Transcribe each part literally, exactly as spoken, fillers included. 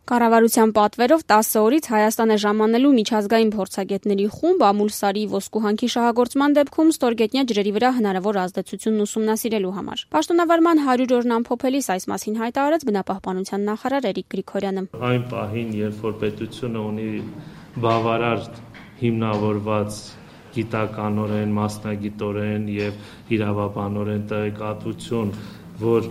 Կառավարության պատվերով տասը օրից Հայաստան է ժամանելու միջազգային փորձագետների խումբ ամուլսարի ոսկուհանքի շահագործման դեպքում ստորգետնյա ջրերի վրա հնարավոր ազդեցությունն ուսումնասիրելու համար։ Պաշտոնավարման հարյուր օրն ամփոփելիս այս մասին հայտարարեց բնապահպանության նախարար Էրիկ Գրիգորյանը։ Այն պահին, երբ որ պետությունը ունի բավարար հիմնավորված գիտականորեն, մասնագիտորեն եւ իրավաբանորեն տեղեկատվություն, որ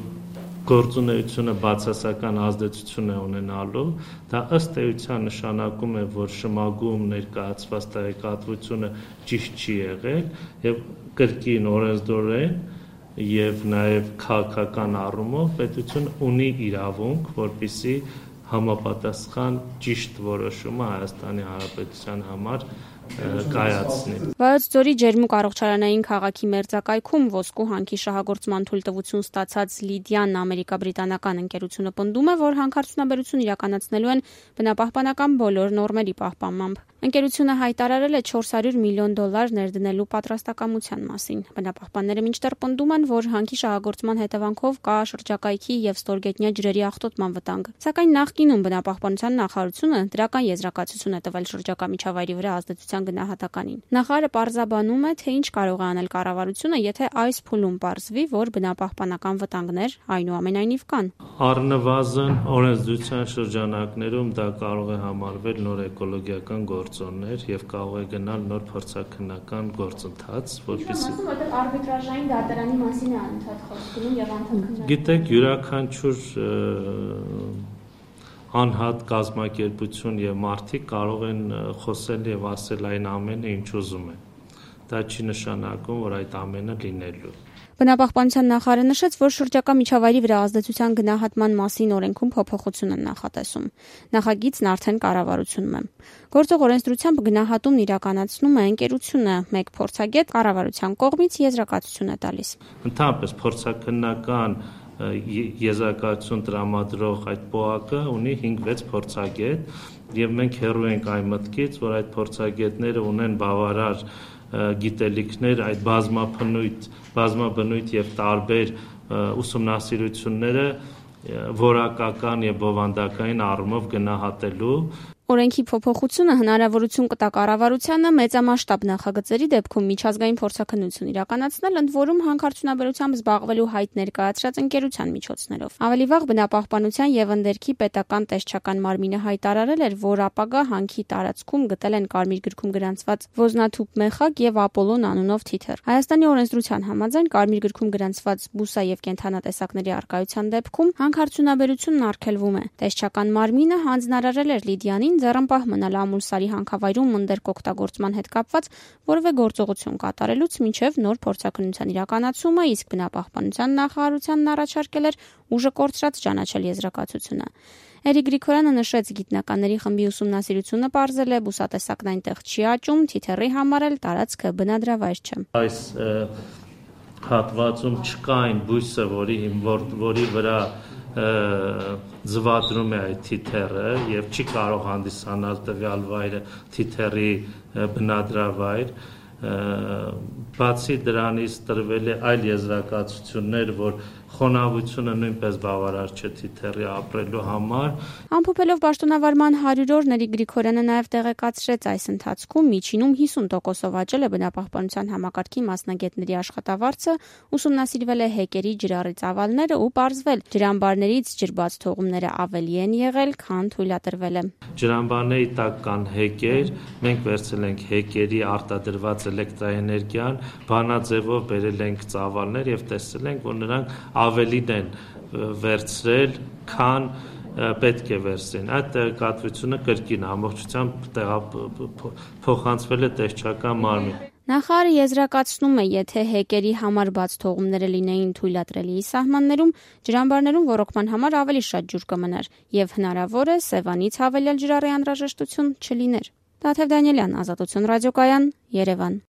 գործունեությունը բացասական ազդեցություն է ունենալու, դա ըստ էության նշանակում է, որ շմագում ներկայացված տեղեկատվությունը ճիշտ չի եղել եւ կրկին օրենսդրորեն եւ նաեւ քաղաքական առումով պետությունը ունի իրավունք, որպեսզի համապատասխան ճիշտ որոշումը Հայաստանի Հանրապետության համար կայացնի։ Վայոց ձորի ջերմուկ առողջարանային քաղաքի մերձակայքում ոսկու հանքի շահագործման թույլտվություն ստացած Լիդիան ամերիկա-բրիտանական ընկերությունը պնդում է, որ հանքարդյունաբերություն իրականացնելու են բնապահպանական բոլոր նորմերի պահպանմամբ։ Ընկերությունը հայտարարել է չորս հարյուր միլիոն դոլար ներդնելու պատրաստակամության մասին։ Բնապահպանները մինչդեռ պնդում են, որ հանքի շահագործման հետևանքով կա շրջակայքի եւ ստորգետնյա ջրերի աղտոտման վտանգ։ Սակայն նախկինում բնապահպանության նախարարությունը դրական եզրակացություն է տվել շրջակա միջավայրի վրա ազդեցության գնահատականին։ Նախարարը պարզաբանում է, թե ինչ կարող է անել կառավարությունը, եթե այս փուլում պարզվի, որ բնապահպանական վտանգներ այնուամենայնիվ կան։ Առնվազն օրենսդրության շրջանակներում դա կարող է համարվել նոր էկոլոգիական գործոններ եւ կարող է գնալ նոր փորձաքննական գործընթաց, որպեսզի արբիտրաժային դատարանի մասին է անընդհատ խոսք գնում եւ անդամքննարկում։ Գիտեք, յուրաքանչյուր անհատ կազմակերպություն եւ մարդիկ կարող են խոսել եւ ասել այն ամենը, ինչ ուզում են։ Դա չի նշանակում, որ այդ ամենը լինելու։ Բնապահպանության նախարարը նշեց, որ շրջակա միջավայրի վրա ազդեցության գնահատման մասին օրենքում փոփոխություն են նախատեսում։ Նախագիծն արդեն կառավարությունում է։ Գործող օրենսդրությամբ գնահատումն իրականացնում է ընկերությունը, մեկ փորձագետ կառավարության կողմից եզրակացություն է տալիս։ Ընդհանրապես փորձաքննական եզրակացություն տրամադրող այդ պոակը ունի հինգ-վեց փորձագետ եւ մենք հեռու ենք այն մտքից, որ այդ փորձագետները ունեն բավարար գիտելիքներ այդ բազմաբնույթ, բազմաբնույթ եւ տարբեր ուսումնասիրությունները որակական եւ բովանդակային առումով գնահատելու։ Օրենքի փոփոխությունը հնարավորություն կտա կառավարությանը մեծամասշտաբ նախագծերի դեպքում միջազգային փորձաքննություն իրականացնել, ընդ որում հանքարդյունաբերությամբ զբաղվելու հայտ ներկայացրած ընկերության միջոցներով։ Ավելի վաղ բնապահպանության եւ ընդերքի պետական տեսչական մարմինը հայտարարել էր, որ ապագա հանքի տարածքում գտել են Կարմիր գրքում գրանցված ոզնաթուփ մեխակ եւ Ապոլոն անունով թիթեռ։ Հայաստանի օրենսդրության համաձայն Կարմիր գրքում գրանցված բուսա եւ կենդանատեսակների առկայության դեպքում հանքարդյունաբերությունն արգելվում է։ Տեսչական մարմինը հանձնարարել էր Լիդիանին ձեռնպահ մնալ ամուլսարի հանքավայրում ընդերք օգտագործման հետ կապված որևէ գործողություն կատարելուց մինչև նոր փորձաքննության իրականացումը, իսկ բնապահպանության նախարարությանն առաջարկել էր ուժը կորցրած ճանաչել եզրակացությունը։ Էրիկ Գրիգորյանը նշեց, գիտնականների խմբի ուսումնասիրությունը պարզել է բուսատեսակն այնտեղ չի աճում, թիթեռի համար էլ տարածքը բնադրավայր չէ։ Այս հատվածում չկա այն բույսը, որի որի վրա ձվադրում է այդ թիթեռը եւ չի կարող հանդիսանալ տվյալ վայրը թիթեռի բնադրավայր։ Բացի դրանից տրվել է այլ եզրակացություններ, որ խոնավությունը նույնպես բավարար չէ թիթեռի ապրելու համար։ Ամփոփելով պաշտոնավարման հարյուր օր Էրիկ Գրիգորյանը նաև տեղեկացրեց, այս ընթացքում միջինում հիսուն տոկոսով աճել է բնապահպանության համակարգի մասնագետների աշխատավարձը, ուսումնասիրվել է հեկերի ջրառի ծավալները ու պարզվել, ջրամբարներից ջրբաց թողումները ավելի են եղել, քան թույլատրվել է։ Ջրամբարների տակ կան հեկեր, մենք վերցրել ենք հեկերի արտադրված էլեկտրաէներգիան, բանաձևով բերել ենք ծավալներ եւ տեսել ենք, որ նրանք ավելին են վերցրել, քան պետք է վերցնեն։ Այդ տեղեկատվությունը կրկին ամբողջությամբ փոխանցվել է տեսչական մարմին։ Նախարարը եզրակացնում է, եթե հեկերի համար բաց թողումները լինեին թույլատրելի սահմաններում, ջրամբարներում ոռոգման համար ավելի շատ ջուր կմնար եւ հնարավոր է Սևանից հավելյալ ջրառի անհրաժեշտություն չլիներ։ Տաթև Դանիելյան, Ազատություն ռադիոկայան, Երևան։